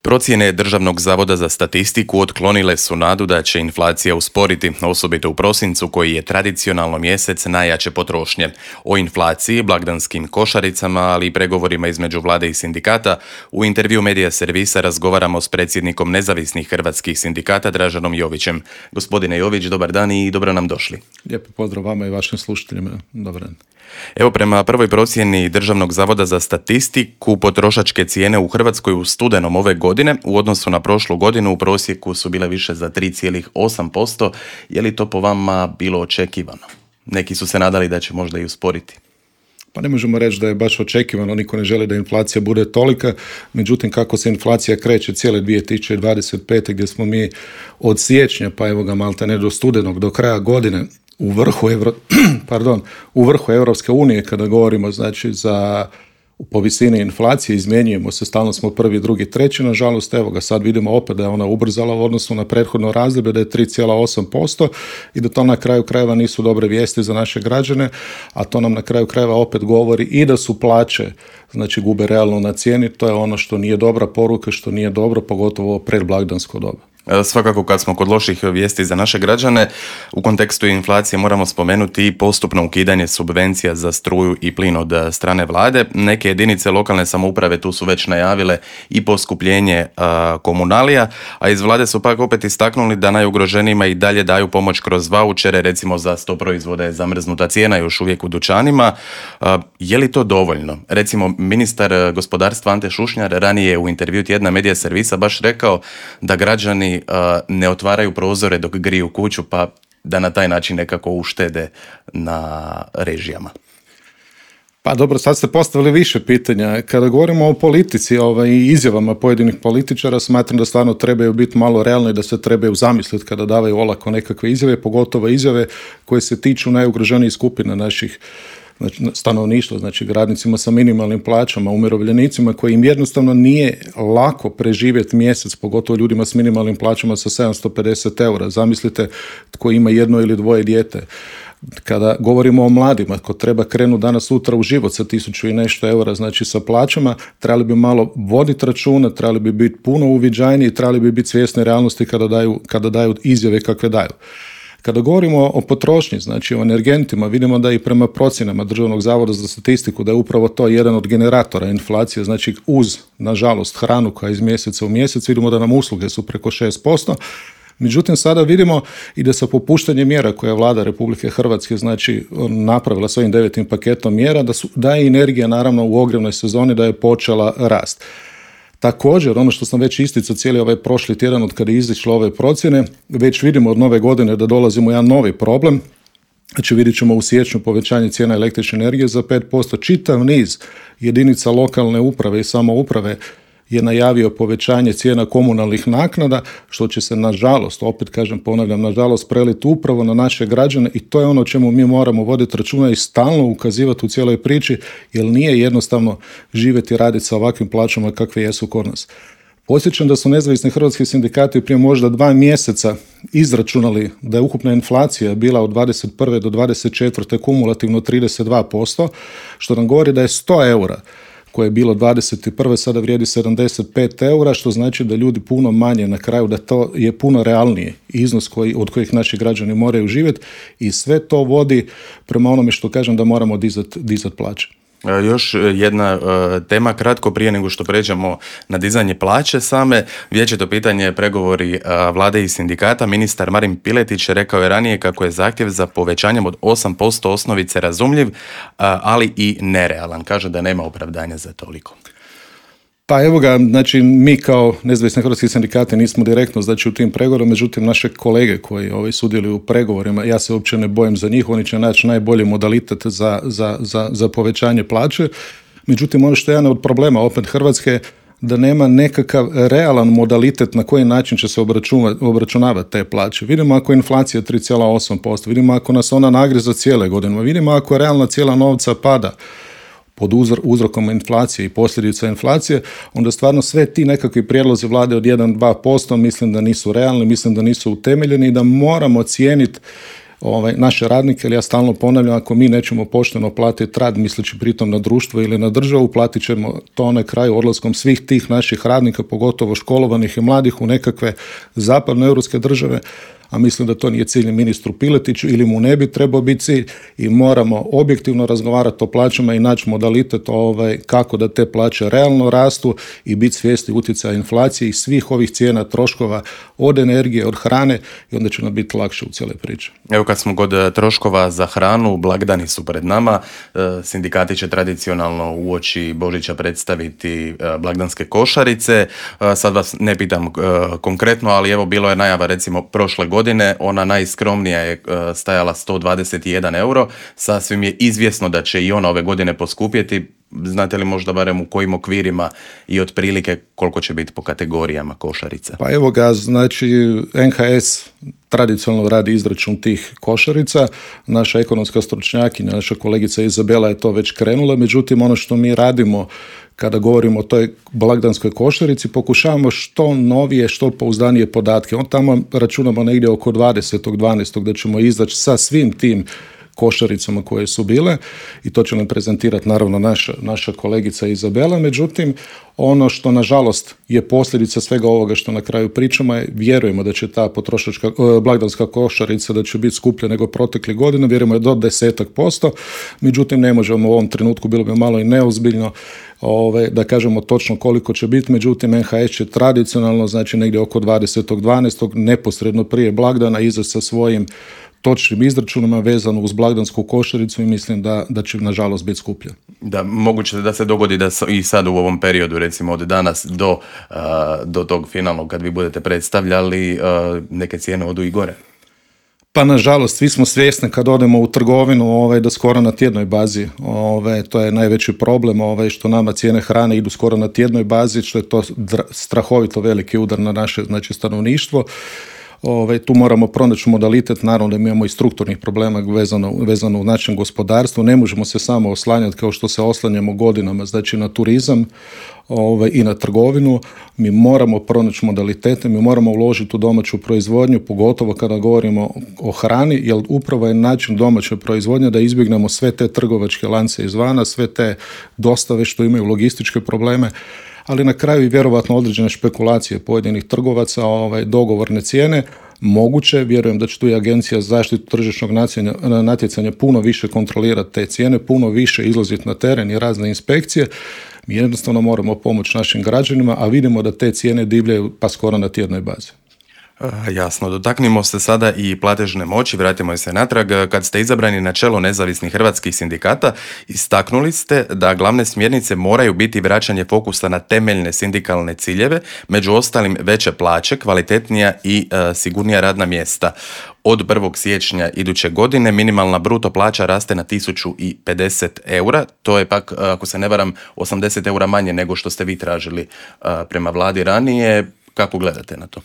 Procjene Državnog zavoda za statistiku otklonile su nadu da će inflacija usporiti, osobito u prosincu koji je tradicionalno mjesec najjače potrošnje. O inflaciji, blagdanskim košaricama, ali i pregovorima između vlade i sindikata u intervju Medija servisa razgovaramo s predsjednikom nezavisnih hrvatskih sindikata Draženom Jovićem. Gospodine Jović, dobar dan i dobro nam došli. Lijepo pozdrav vama i vašim slušateljima. Dobar dan. Evo, prema prvoj procjeni Državnog zavoda za statistiku, potrošačke cijene u Hrvatskoj u studenom ove godine u odnosu na prošlu godinu u prosjeku su bile više za 3,8%. Je li to po vama bilo očekivano? Neki su se nadali da će možda i usporiti. Pa ne možemo reći da je baš očekivano, niko ne želi da inflacija bude tolika, međutim kako se inflacija kreće cijele 2025. gdje smo mi od siječnja, pa evo ga maltene do studenog, do kraja godine, u vrhu Europske unije kada govorimo znači po visini inflacije, izmjenjujemo se, stalno smo prvi, drugi, treći, nažalost evo ga sad vidimo opet da je ona ubrzala u odnosu na prethodno razdoblje, da je 3,8% i da to na kraju krajeva nisu dobre vijesti za naše građane, a to nam na kraju krajeva opet govori i da su plaće znači gube realno na cijeni, to je ono što nije dobra poruka, što nije dobro, pogotovo predblagdansko doba. Svakako kad smo kod loših vijesti za naše građane, u kontekstu inflacije moramo spomenuti i postupno ukidanje subvencija za struju i plin od strane vlade. Neke jedinice lokalne samouprave tu su već najavile i poskupljenje komunalija, a iz vlade su pak opet istaknuli da najugroženijima i dalje daju pomoć kroz vaučere, recimo za 100 proizvoda je zamrznuta cijena još uvijek u dućanima. Je li to dovoljno? Recimo, ministar gospodarstva Ante Šušnjar ranije u intervju tjedna Medija servisa baš rekao da građani ne otvaraju prozore dok griju kuću, pa da na taj način nekako uštede na režijama. Pa dobro, sad ste postavili više pitanja. Kada govorimo o politici i izjavama pojedinih političara, smatram da stvarno trebaju biti malo realni, da se trebaju zamisliti kada davaju olako nekakve izjave, pogotovo izjave koje se tiču najugroženijih skupina naših stanovništva, znači radnicima sa minimalnim plaćama, umirovljenicima koji im jednostavno nije lako preživjeti mjesec, pogotovo ljudima s minimalnim plaćama sa 750 eura. Zamislite tko ima jedno ili dvoje dijete. Kada govorimo o mladima, ko treba krenuti danas sutra u život sa 1000 i nešto eura, znači sa plaćama, trebali bi malo voditi računa, trebali bi biti puno uviđajniji, trebali bi biti svjesni realnosti kada daju izjave kakve daju. Kada govorimo o potrošnji, znači o energentima, vidimo da i prema procjenama Državnog zavoda za statistiku da je upravo to jedan od generatora inflacije, znači uz, nažalost, hranu koja iz mjeseca u mjesec, vidimo da nam usluge su preko 6%. Međutim, sada vidimo i da sa popuštanjem mjera koje je Vlada Republike Hrvatske znači napravila svojim 9. paketom mjera, da je energija naravno u ogrjevnoj sezoni da je počela rast. Također, ono što sam već isticao cijeli ovaj prošli tjedan od kada je izišlo ove procjene, već vidimo od nove godine da dolazimo u jedan novi problem. Znači vidjet ćemo u siječnju povećanje cijena električne energije za 5%. Čitav niz jedinica lokalne uprave i samouprave je najavio povećanje cijena komunalnih naknada, što će se nažalost, opet kažem, ponavljam, nažalost preliti upravo na naše građane i to je ono o čemu mi moramo voditi računa i stalno ukazivati u cijeloj priči, jer nije jednostavno živjeti i raditi sa ovakvim plaćama kakve jesu kod nas. Podsjećam da su nezavisni hrvatski sindikati prije možda 2 mjeseca izračunali da je ukupna inflacija bila od 21. do 24. kumulativno 32%, što nam govori da je 100 eura koje je bilo 21. sada vrijedi 75 eura, što znači da ljudi puno manje na kraju, da to je puno realniji iznos od kojih naši građani moraju živjeti i sve to vodi prema onome što kažem da moramo dizati plaće. Još jedna tema kratko prije nego što pređemo na dizanje plaće same. Vječito pitanje pregovori vlade i sindikata. Ministar Marin Piletić rekao je ranije kako je zahtjev za povećanjem od 8% osnovice razumljiv, ali i nerealan. Kaže da nema opravdanja za toliko. Pa evo ga, znači mi kao nezavisni hrvatski sindikati nismo direktno znači u tim pregovorima, međutim naše kolege koji sudjeluju u pregovorima, ja se uopće ne bojim za njih, oni će naći najbolji modalitet za povećanje plaće. Međutim, ono što je jedan od problema opet Hrvatske da nema nekakav realan modalitet na koji način će se obračunavati te plaće. Vidimo ako je inflacija 3,8%, vidimo ako nas ona nagriza cijele godine, vidimo ako realna cijela novca pada pod uzrokom inflacije i posljedica inflacije, onda stvarno sve ti nekakvi prijedlozi vlade od 1-2% mislim da nisu realni, mislim da nisu utemeljeni i da moramo cijeniti naše radnike, jer ja stalno ponavljam, ako mi nećemo pošteno platiti rad, misleći pritom na društvo ili na državu, platit ćemo to na kraju odlaskom svih tih naših radnika, pogotovo školovanih i mladih, u nekakve zapadnoeuropske države, a mislim da to nije cilj ministru Piletiću ili mu ne bi trebao biti cilj, i moramo objektivno razgovarati o plaćama i naći modalitet kako da te plaće realno rastu i biti svjesni utjecaja inflacije i svih ovih cijena troškova od energije, od hrane, i onda će nam biti lakše u cijeloj priči. Evo, kad smo kod troškova za hranu, blagdani su pred nama, sindikati će tradicionalno uoči Božića predstaviti blagdanske košarice. Sad vas ne pitam konkretno, ali evo, bilo je najava recimo prošle godine, ona najskromnija je stajala 121 euro, sasvim je izvjesno da će i ona ove godine poskupjeti. Znate li možda barem u kojim okvirima i otprilike koliko će biti po kategorijama košarica? Pa evo ga, znači NHS tradicionalno radi izračun tih košarica, naša ekonomska stručnjakinja, naša kolegica Izabela je to već krenula, međutim ono što mi radimo kada govorimo o toj blagdanskoj košarici, pokušavamo što novije, što pouzdanije podatke. On tamo računamo negdje oko 20.12. da ćemo izaći sa svim tim košaricama koje su bile, i to će nam prezentirati naravno naša kolegica Izabela. Međutim, ono što nažalost je posljedica svega ovoga što na kraju pričamo je, vjerujemo da će ta potrošačka blagdanska košarica da će biti skuplja nego protekle godine, vjerujemo je do 10%, međutim ne možemo u ovom trenutku, bilo bi malo i neozbiljno da kažemo točno koliko će biti, međutim NHS će tradicionalno, znači negdje oko 20.12. neposredno prije blagdana izaći sa svojim točnim izračunima vezano uz blagdansku košaricu, i mislim da će nažalost biti skuplja. Da, moguće da se dogodi da i sad u ovom periodu, recimo od danas do tog finalnog kad vi budete predstavljali, neke cijene odu i gore. Pa nažalost, svi smo svjesni kad odemo u trgovinu da skoro na tjednoj bazi, to je najveći problem, što nama cijene hrane idu skoro na tjednoj bazi, što je to strahovito veliki udar na naše, znači, stanovništvo. Tu moramo pronaći modalitet, naravno da mi imamo i strukturnih problema vezano u našem gospodarstvu, ne možemo se samo oslanjati kao što se oslanjamo godinama, znači na turizam i na trgovinu. Mi moramo pronaći modalitete, mi moramo uložiti u domaću proizvodnju, pogotovo kada govorimo o hrani, jer upravo je način domaće proizvodnje da izbjegnemo sve te trgovačke lance izvana, sve te dostave što imaju logističke probleme, ali na kraju i vjerovatno određene špekulacije pojedinih trgovaca, dogovorne cijene. Moguće, vjerujem da će tu i Agencija za zaštitu tržišnog natjecanja puno više kontrolirati te cijene, puno više izlaziti na teren i razne inspekcije. Mi jednostavno moramo pomoći našim građanima, a vidimo da te cijene divljaju pa skoro na tjednoj bazi. Jasno, dotaknimo se sada i platežne moći, vratimo se natrag. Kad ste izabrani na čelo nezavisnih hrvatskih sindikata, istaknuli ste da glavne smjernice moraju biti vraćanje fokusa na temeljne sindikalne ciljeve, među ostalim veće plaće, kvalitetnija i sigurnija radna mjesta. Od 1. siječnja iduće godine minimalna bruto plaća raste na 1050 eura, to je pak, ako se ne varam, 80 eura manje nego što ste vi tražili prema vladi ranije. Kako gledate na to?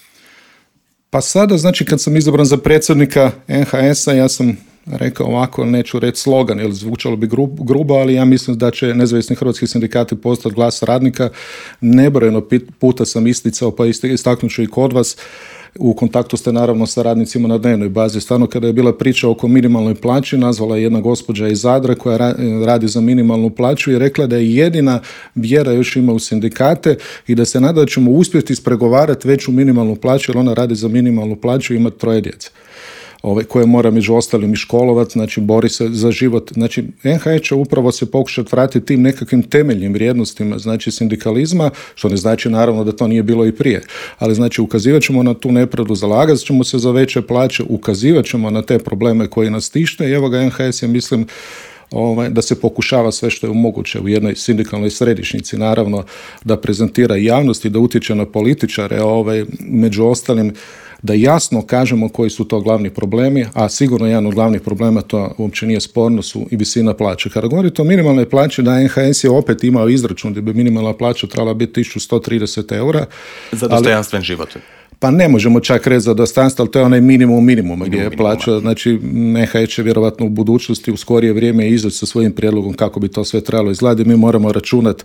Pa sada, znači, kad sam izabran za predsjednika NHS-a, ja sam rekao ovako, neću reći slogan, jer zvučalo bi grubo, ali ja mislim da će nezavisni hrvatski sindikati postati glas radnika. Nebrojeno puta sam isticao, pa istaknut ću i kod vas, u kontaktu ste naravno sa radnicima na dnevnoj bazi. Stvarno, kada je bila priča oko minimalnoj plaći, nazvala je jedna gospođa iz Zadra koja radi za minimalnu plaću i rekla da je jedina vjera još ima u sindikate i da se nada da ćemo uspjeti ispregovarati veću minimalnu plaću, jer ona radi za minimalnu plaću i ima 3 djece. Koje mora među ostalim i školovati, znači bori se za život. Znači NHS će upravo se pokušati vratiti tim nekakvim temeljnim vrijednostima, znači sindikalizma, što ne znači naravno da to nije bilo i prije, ali znači ukazivat ćemo na tu nepravdu, zalagat ćemo se za veće plaće, ukazivat ćemo na te probleme koji nas tište, i evo ga NHS je, mislim, da se pokušava sve što je moguće u jednoj sindikalnoj središnjici, naravno da prezentira javnost i da utječe na političare, među ostalim da jasno kažemo koji su to glavni problemi, a sigurno jedan od glavnih problema, to uopće nije sporno, su i visina plaće. Kada govorite o minimalnoj plaći, da NHS je opet imao izračun da bi minimalna plaća trebala biti 1130 eura. Za dostojanstven život. pa ne možemo čak reći za dostojanstvo, ali to je onaj minimum gdje je plaća. Znači, NHS će vjerovatno u budućnosti u skorije vrijeme izaći sa svojim prijedlogom kako bi to sve trebalo izgledati. Mi moramo računati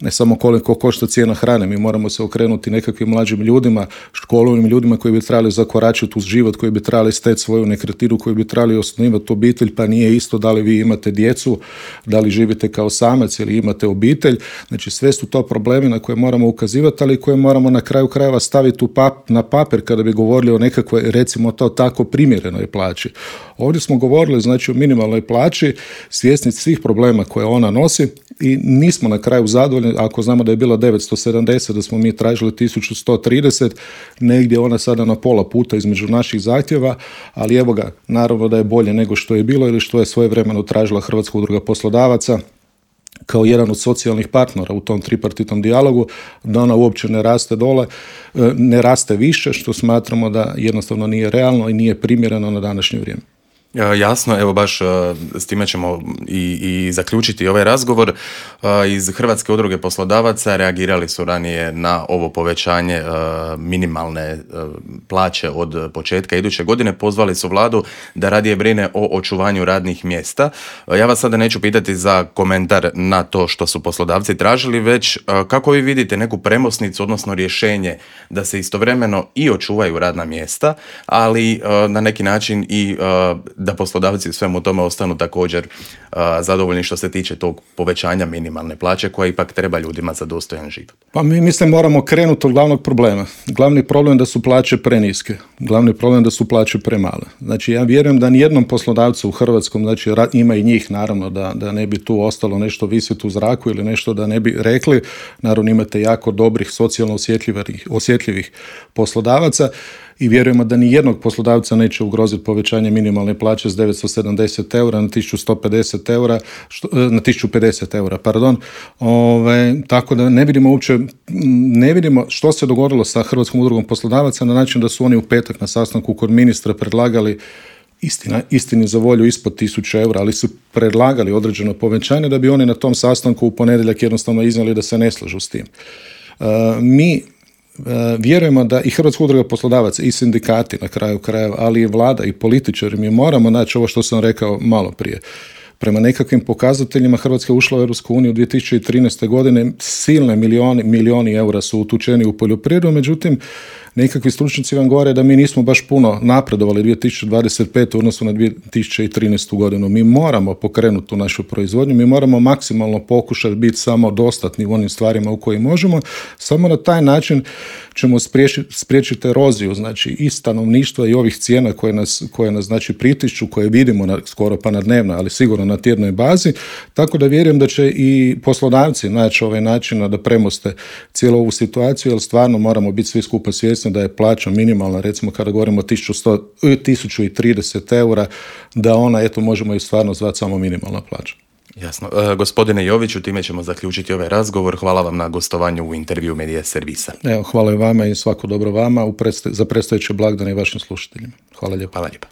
ne samo koliko košta cijena hrane, mi moramo se okrenuti nekakvim mlađim ljudima, školovnim ljudima koji bi trebali zakoračiti uz život, koji bi trebali steći svoju nekretninu, koji bi trebali osnivati obitelj, pa nije isto da li vi imate djecu, da li živite kao samac ili imate obitelj. Znači, sve su to problemi na koje moramo ukazivati, ali koje moramo na kraju krajeva staviti na papir kada bi govorili o nekakvoj, recimo to tako, primjerenoj plaći. Ovdje smo govorili, znači, o minimalnoj plaći, svjesni svih problema koje ona nosi i nismo na kraju zadovoljni. Ako znamo da je bilo 970, da smo mi tražili 1130, negdje ona sada na pola puta između naših zahtjeva, ali evo ga, naravno da je bolje nego što je bilo ili što je svojevremeno tražila Hrvatska udruga poslodavaca kao jedan od socijalnih partnera u tom tripartitnom dijalogu, da ona uopće ne raste dole, ne raste više, što smatramo da jednostavno nije realno i nije primjereno na današnje vrijeme. Jasno, evo baš s time ćemo i zaključiti ovaj razgovor. Iz Hrvatske udruge poslodavaca reagirali su ranije na ovo povećanje minimalne plaće od početka iduće godine. Pozvali su vladu da radije brine o očuvanju radnih mjesta. Ja vas sada neću pitati za komentar na to što su poslodavci tražili, već kako vi vidite neku premosnicu, odnosno rješenje da se istovremeno i očuvaju radna mjesta, ali na neki način i da poslodavci u svemu tome ostanu također zadovoljni što se tiče tog povećanja minimalne plaće koja ipak treba ljudima za dostojan život. Pa mi mislim moramo krenuti od glavnog problema. Glavni problem da su plaće preniske. Glavni problem da su plaće premale. Znači ja vjerujem da nijednom poslodavcu u Hrvatskom, znači ima i njih naravno da ne bi tu ostalo nešto visiti u zraku ili nešto da ne bi rekli. Naravno imate jako dobrih socijalno osjetljivih poslodavaca i vjerujemo da ni jednog poslodavca neće ugroziti povećanje minimalne plaće s 970 eura na 1150 eura, na 1050 eura, pardon. Tako da ne vidimo što se dogodilo sa Hrvatskom udrugom poslodavaca na način da su oni u petak na sastanku kod ministra predlagali istini za volju ispod 1000 eura, ali su predlagali određeno povećanje da bi oni na tom sastanku u ponedjeljak jednostavno iznijeli da se ne slažu s tim. Mi vjerujemo da i Hrvatska udruga poslodavaca i sindikati na kraju krajeva, ali i vlada i političari, mi moramo naći ovo što sam rekao malo prije. Prema nekakvim pokazateljima Hrvatska je ušla u Europsku uniju 2013. godine, silne milijoni eura su utučeni u poljoprivredu, međutim nekakvi stručnjaci vam govore da mi nismo baš puno napredovali 2025. u odnosu na 2013. godinu. Mi moramo pokrenuti tu našu proizvodnju, mi moramo maksimalno pokušati biti samodostatni u onim stvarima u kojim možemo. Samo na taj način ćemo spriječiti eroziju, znači i stanovništva i ovih cijena koje nas znači pritišću, koje vidimo skoro pa na dnevnoj, ali sigurno na tjednoj bazi. Tako da vjerujem da će i poslodavci naći ovaj način da premoste cijelu ovu situaciju, jer stvarno moramo biti svi skupa svjesni da je plaća minimalna, recimo kada govorimo o 1030 eura, da ona, eto, možemo i stvarno zvati samo minimalna plaća. Jasno. Gospodine Joviću, time ćemo zaključiti ovaj razgovor. Hvala vam na gostovanju u intervju Medija Servisa. Evo, hvala i vama i svako dobro vama za predstojeće blagdane i vašim slušateljima. Hvala lijepo. Hvala lijepo.